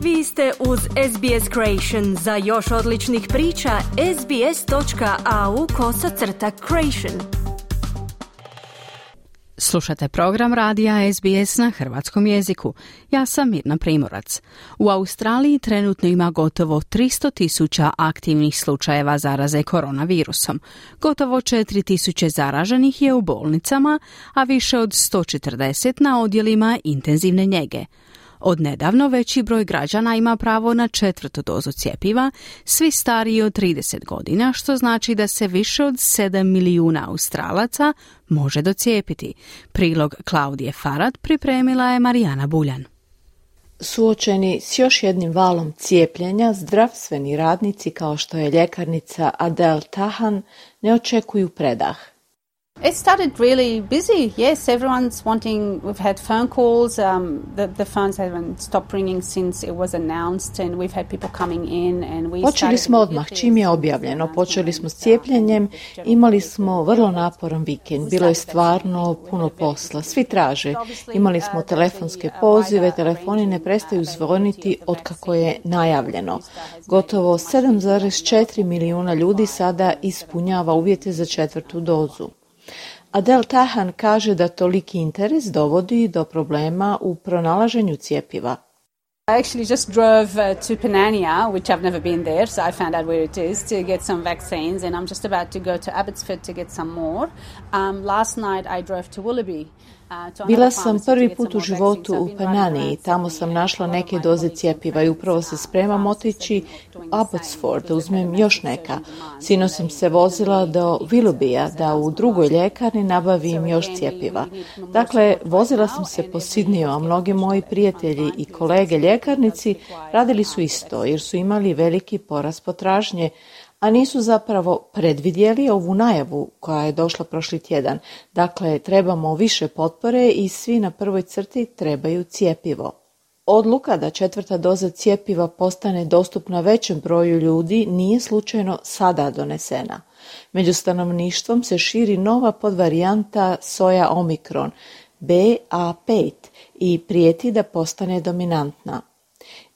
Vi ste uz SBS Creation. Za još odličnih priča, sbs.au/creation. Slušate program radija SBS na hrvatskom jeziku. Ja sam Mirna Primorac. U Australiji trenutno ima gotovo 300.000 aktivnih slučajeva zaraze koronavirusom. Gotovo 4.000 zaraženih je u bolnicama, a više od 140 na odjelima intenzivne njege. Od nedavno veći broj građana ima pravo na 4. dozu cjepiva, svi stariji od 30 godina, što znači da se više od 7 milijuna Australaca može docijepiti. Prilog Klaudije Farad pripremila je Marijana Buljan. Suočeni s još jednim valom cijepljenja, zdravstveni radnici kao što je ljekarnica Adele Tahan ne očekuju predah. It started really busy. Yes, everyone's wanting. We've had phone calls. The phones haven't stopped ringing since it was announced, and we've had people coming in. And we Počeli smo odmah čim je objavljeno. Počeli smo s cijepljenjem. Imali smo vrlo naporan vikend. Bilo je stvarno puno posla. Svi traže. Imali smo telefonske pozive. Telefoni ne prestaju zvoniti otkako je najavljeno. Gotovo 7,4 milijuna ljudi sada ispunjava uvjete za 4. dozu. Adele Tahan kaže da toliki interes dovodi do problema u pronalaženju cjepiva. I actually just drove to Panania, which I've never been there, so I found out where it is to get some vaccines, and I'm just about to go to Abbotsford to get some more. Last night I drove to Willoughby. Bila sam prvi put u životu u Panani i tamo sam našla neke doze cjepiva i upravo se spremam otići u Abbotsford da uzmem još neka. Sinoć sam se vozila do Willoughbya da u drugoj ljekarni nabavim još cjepiva. Dakle, vozila sam se po Sydneyu, a mnogi moji prijatelji i kolege ljekarnici radili su isto jer su imali veliki porast potražnje, a nisu zapravo predvidjeli ovu najavu koja je došla prošli tjedan. Dakle, trebamo više potpore i svi na prvoj crti trebaju cjepivo. Odluka da 4. doza cjepiva postane dostupna većem broju ljudi nije slučajno sada donesena. Među stanovništvom se širi nova podvarijanta soja Omikron, BA5, i prijeti da postane dominantna.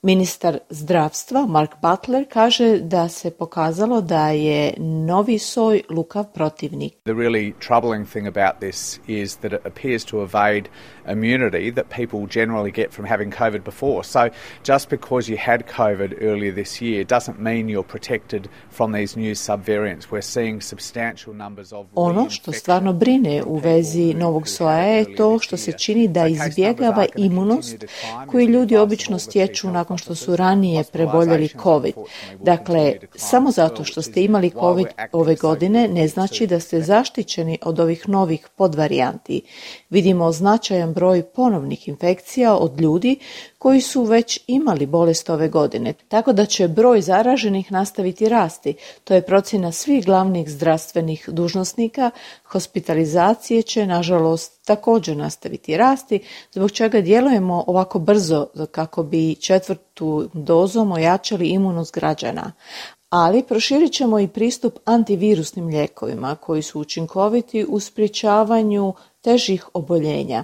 Ministar zdravstva Mark Butler kaže da se pokazalo da je novi soj lukav protivnik. The really troubling thing about this is that it appears to evade immunity that people generally get from having COVID before. So just because you had COVID earlier this year doesn't mean you're protected from these new subvariants. We're seeing substantial numbers of Ono što stvarno brine u vezi novog soja je to što se čini da izbjegava imunost koju ljudi obično stječu nakon što su ranije preboljeli COVID. Dakle, samo zato što ste imali COVID ove godine ne znači da ste zaštićeni od ovih novih podvarijanti. Vidimo značajan broj ponovnih infekcija od ljudi koji su već imali bolest ove godine, tako da će broj zaraženih nastaviti rasti. To je procjena svih glavnih zdravstvenih dužnosnika. Hospitalizacije će, nažalost, također nastaviti rasti, zbog čega djelujemo ovako brzo kako bi 4. dozom ojačali imunost građana. Ali proširit ćemo i pristup antivirusnim lijekovima koji su učinkoviti u sprječavanju težih oboljenja.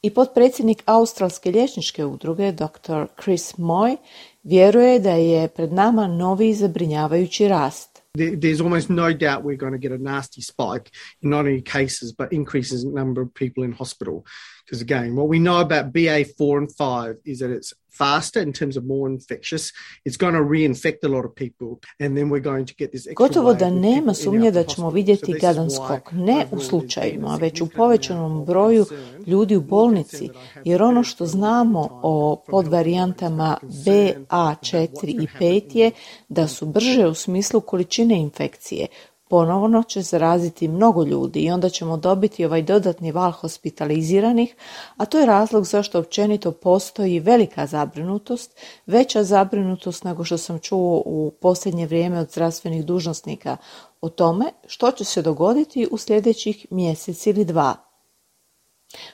I potpredsjednik Australske liječničke udruge, dr. Chris Moy, vjeruje da je pred nama novi zabrinjavajući rast. There's almost no doubt we're going to get a nasty spike in not only cases but increases in number of people in hospital. Because again, what we know about BA4 and 5 is that it's faster in terms of more infectious. It's going to reinfect a lot of people and then we're going to get this extra. Gotovo da nema sumnje da ćemo vidjeti gadan skok, ne u slučajima, već u povećanom broju ljudi u bolnici, jer ono što znamo o podvarijantama BA4 i 5 je da su brže u smislu količine infekcije. Ponovno će zaraziti mnogo ljudi i onda ćemo dobiti ovaj dodatni val hospitaliziranih, a to je razlog zašto općenito postoji velika zabrinutost, veća zabrinutost nego što sam čuo u posljednje vrijeme od zdravstvenih dužnosnika o tome što će se dogoditi u sljedećih mjesec ili dva.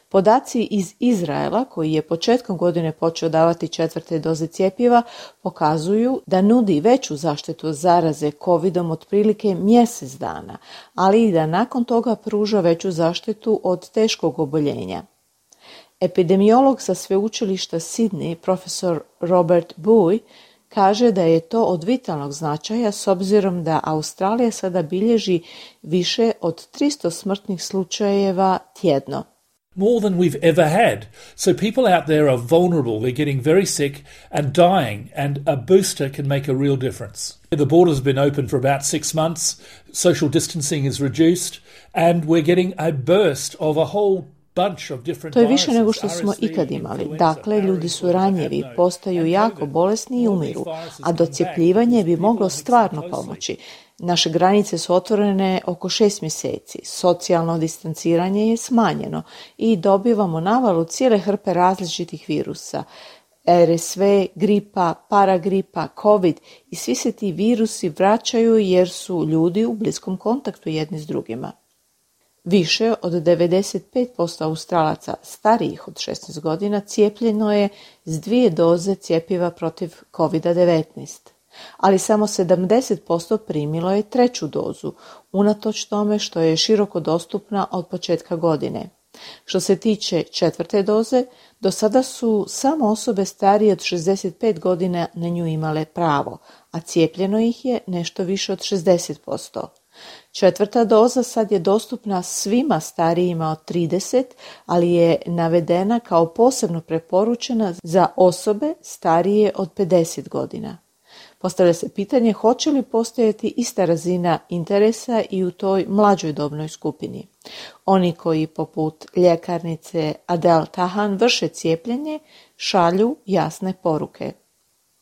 Podaci iz Izraela, koji je početkom godine počeo davati 4. doze cjepiva, pokazuju da nudi veću zaštitu od zaraze COVID-om otprilike mjesec dana, ali i da nakon toga pruža veću zaštitu od teškog oboljenja. Epidemiolog sa sveučilišta Sydney, profesor Robert Bui, kaže da je to od vitalnog značaja s obzirom da Australija sada bilježi više od 300 smrtnih slučajeva tjedno. More than we've ever had. So people out there are vulnerable, they're getting very sick and dying, and a booster can make a real difference. The border's been open for about 6 months, social distancing is reduced, and we're getting a burst of a whole bunch of different viruses. To je više nego što smo ikad imali. Dakle, ljudi su ranjivi, postaju jako bolesni i umiru, a docjepljivanje bi moglo stvarno pomoći. Naše granice su otvorene oko 6 mjeseci, socijalno distanciranje je smanjeno i dobivamo navalu cijele hrpe različitih virusa. RSV, gripa, paragripa, COVID i svi se ti virusi vraćaju jer su ljudi u bliskom kontaktu jedni s drugima. Više od 95% Australaca starijih od 16 godina cijepljeno je s 2 doze cjepiva protiv COVID-19. Ali samo 70% primilo je 3. dozu, unatoč tome što je široko dostupna od početka godine. Što se tiče 4. doze, do sada su samo osobe starije od 65 godina na nju imale pravo, a cijepljeno ih je nešto više od 60%. 4. doza sad je dostupna svima starijima od 30, ali je navedena kao posebno preporučena za osobe starije od 50 godina. Postavlja se pitanje hoće li postojati ista razina interesa i u toj mlađoj dobnoj skupini. Oni koji poput ljekarnice Adele Tahan vrše cijepljenje šalju jasne poruke.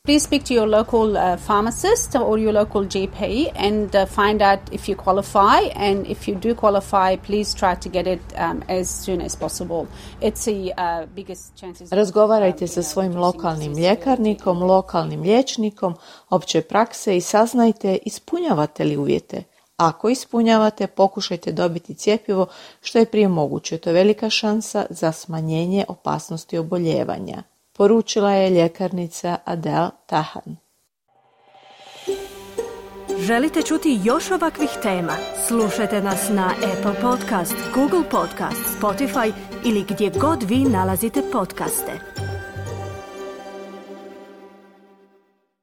Please speak to your local pharmacist or your local GP and find out if you qualify, and if you do qualify, please try to get it as soon as possible. It's the biggest chances. Razgovarajte sa svojim lokalnim ljekarnikom, lokalnim liječnikom opće prakse i saznajte ispunjavate li uvjete. Ako ispunjavate, pokušajte dobiti cjepivo što je prije moguće. To je velika šansa za smanjenje opasnosti oboljevanja, poručila je ljekarnica Adele Tahan. Želite čuti još ovakvih tema? Slušajte nas na Apple Podcast, Google Podcast, Spotify ili gdje god vi nalazite podcaste.